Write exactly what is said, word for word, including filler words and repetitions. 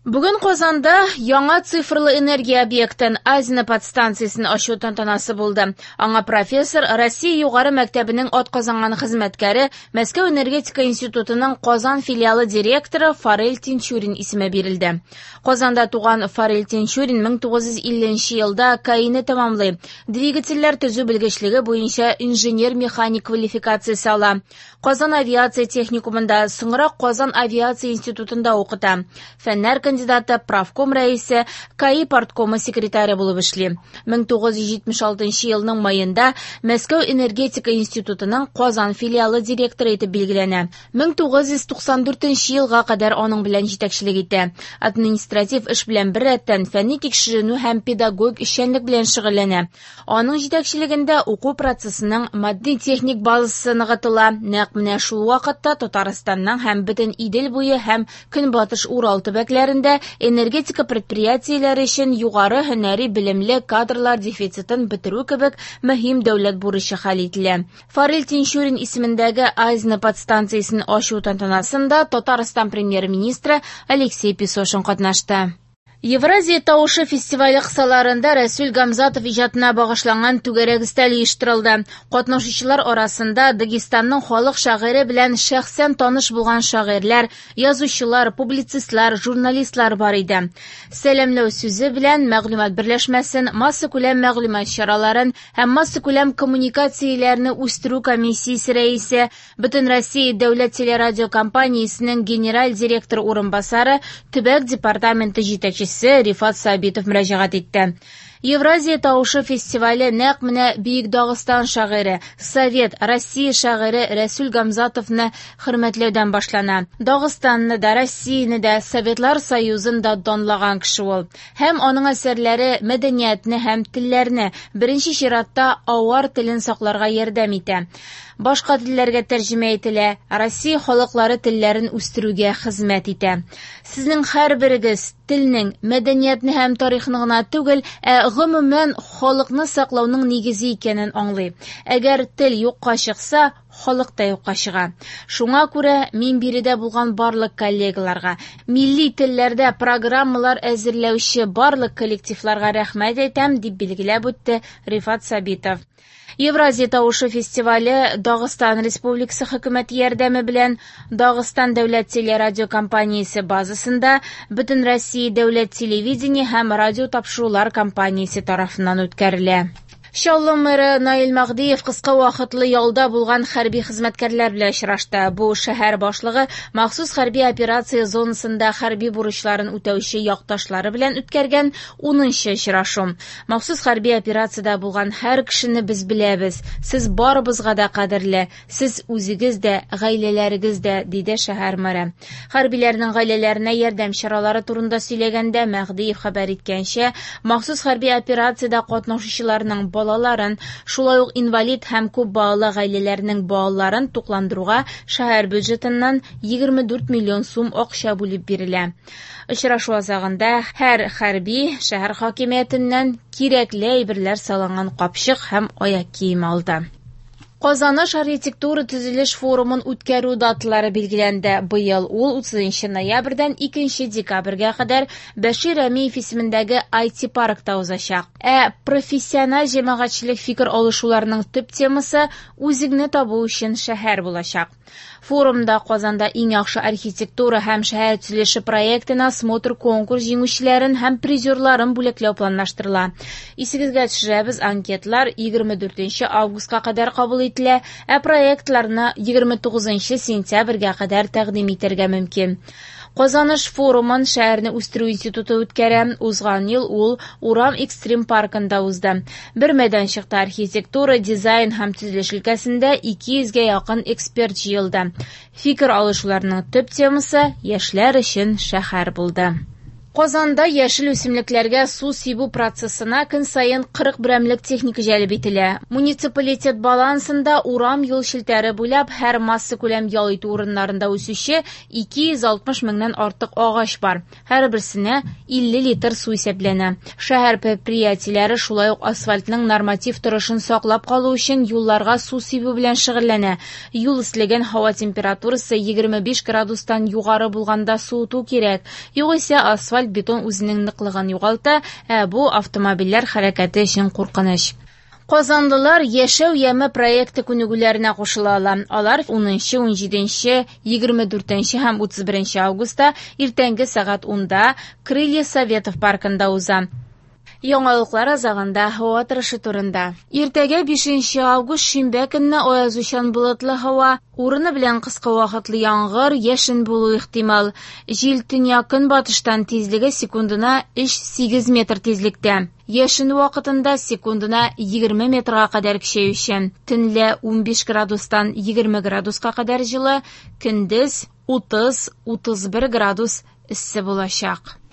Бүген Казанда яңа цифрлы энергия объектын Азино подстанциясен ачу тантанасы булды. Аңа профессор, Россия югары мәктәбенең атказанган хезмәткәре, Мәскәү энергетика институтының Казан филиалы директоры Фарель Тинчурин исеме бирелде. Казанда туган Фарель Тинчурин мең тугыз йөз илленче елда КАИны тәмамлый. Двигательләр төзү белгечлеге буенча инженер-механик квалификациясе ала. Казан авиация техникумында, соңрак Казан авиация институтында укыта. Фәннәр кандидаты, правком рәисе, КАИ парткомы секретаре булып эшли. мең тугыз йөз җитмеш алтынчы елның майында Мәскәү энергетика институтының Казан филиалы директоры итеп билгеләнә. мең тугыз йөз туксан дүртенче елга кадәр аның белән җитәкчелек итә. Административ эш белән беррәттән фәнни тикшеренү һәм педагогик эшчәнлек белән шөгыльләнә. Аның җитәкчелегендә уку процессының матди-техник базасы ныгытыла. Нәкъ менә шул вакытта Татарстанның һәм бөтен Идел буе һәм Көнбатыш Урал төбәкләрендә энергетика предприятиеләре өчен югары һөнәри белемле кадрлар дефицитын бетерү кебек мөһим дәүләт бурычы хәл ителә. Фарель Тинчурин исемендәге Азино подстанциясен ачу тантанасында Татарстан премьер-министры Алексей Песошин катнашты. Евразия тавышы фестивале кысаларында Рәсүл Гамзатов иҗатына багышланган түгәрәк өстәл оештырылды. Катнашучылар арасында Дагестанның халык шагыйре белән шәхсән таныш булган шагыйрьләр, язучылар, публицистлар, журналистлар бар иде. Сәламләү сүзе белән мәгълүмат берләшмәсен, массакүләм мәгълүмат чараларын һәм массакүләм коммуникацияләрне үстерү комиссиясе рәисе, Бөтенроссия дәүләт телерадиокомпаниясенең генераль директоры урынбасары, төбәк департаменты җитәкчесе Рифат Сабитов мөрәҗәгать итте. Евразия тавышы фестивале нәкъ менә Бөек Дагыстан шагыйре, Совет, Россия шагыйре Рәсүл Гамзатовны хөрмәтләүдән башлана. Дагыстанны да, Россияне дә, Советлар Союзын да данлаган кеше ул. Һәм аның әсәрләре мәдәниятне һәм телләрне, беренче чиратта авар телен сакларга ярдәм итә. Башка телләргә тәрҗемә ителә, Россия халыклары телләрен үстерүгә хезмәт итә. Сезнең һәрберегез телнең, мәдәниятне һәм тарихны гына түгел, ә гомумән халыкны саклауның нигезе икәнен аңлый. Әгәр тел юкка чыкса, халык та юкка чыга. Шуңа күрә мин биредә булган барлык коллегаларга, милли телләрдә программалар әзерләүче барлык коллективларга рәхмәт әйтәм, дип билгеләп үтте Рифат Сабитов. Евразия тавышы фестивале Дагыстан Республикасы хөкүмәте ярдәме белән Дагыстан дәүләт телерадиокомпаниясе базасында Бөтенроссия дәүләт телевидение һәм радио тапшырулар компаниясе тарафыннан үткәрелә. Чаллы мэры Наил Мәһдиев кыска вакытлы ялда булган хәрби хезмәткәрләр белән очрашты. Бу шәһәр башлыгы махсус хәрби операция зонасында хәрби бурычларын үтәүче якташлары белән үткәргән унынчы очрашу. Махсус хәрби операциядә булган һәр кешене без беләбез. Сез барыбызга да кадерле, сез үзегез дә, гаиләләрегез дә, диде шәһәр мэры. Хәрбиләрнең гаиләләренә ярдәм чаралары турында сөйләгәндә Мәһдиев хәбәр иткәнчә, махсус хәрби операциядә катнашучыларның балаларын, шулай ук инвалид һәм күп балалы гаиләләрнең балаларын тукландыруга шәһәр бюджетыннан егерме дүрт миллион сум акча бүлеп бирелә. Очрашу азагында һәр хәрби шәһәр хакимиятеннән кирәкле әйберләр салынган капчык һәм аяк киеме алды. Казаныш архитектура төзелеш форумын үткәрү даталары билгеләнде. Быел ул утызынчы ноябрьдән икенче декабрьгә кадәр Бәшир Рәмиев исемендәге ай ти паркта узачак. Ә профессиональ җәмәгатьчелек фикер алышуларының төп темасы үзеңне табу өчен шәһәр булачак. Форумда Казанда иң яхшы архитектура һәм шәһәр төзелеше проектына смотр конкурс җиңүчеләрен һәм призерларын бүләкләү планлаштырыла. Исегезгә төшерәбез, анкетлар егерме дүртенче августка кадәр кабул ителә, ә проектларны егерме тугызынчы сентябрьгә кадәр тәкъдим итәргә мөмкин. Казаныш форумын шәһәрне үстерү институты үткәрә. Узган ел ул Урам экстрим паркында узды. Бер мәйданчыкта архитектура, дизайн һәм төзелеш өлкәсендә ике йөзгә якын эксперт җыелды. Фикер алышуларның төп темасы яшьләр өчен шәһәр булды. Казанда яшел үсемлекләргә су сибү процессына көн саен кырык берәмлек техника җәлеп ителә. Муниципалитет балансында урам-юл челтәре буйлап һәр массакүләм ял итү урыннарында үсүче ике йөз алтмыш меңнән артык агач бар. Һәрберсенә илле литр су исәпләнә. Шәһәр предприятиеләре шулай ук асфальтның норматив торышын саклап калу өчен юлларга су сибү белән шөгыльләнә. Юл өслеген һава температурасы егерме биш градустан югары булганда суыту кирәк. Югыйсә асфальт бетон үзенең ныклыгын югалта, ә бу автомобильләр хәрәкәте өчен куркыныч. Казанлылар Яшәү яме проекты күнегүләренә кушыла ала. Алар унынчы, унҗиденче, егерме дүртенче һәм утыз беренче августта иртәнге сәгать унда Крылья Советов паркында уза. Яңалыклар азагында һава торышы турында. Иртәгә бишенче август шимбә көнне аязучан болытлы һава, урыны белән кыска вакытлы яңгыр, яшен булу ихтимал. Җил төньяк көнбатыштан тизлеге секундына өч сигез метр тизлектә. Яшен вакытында секундына егерме метрга кадәр көчәючән. Төнлә унбиш градустан егерме градуска кадәр җылы, көндез утыз, утыз бер градус эссе булачак.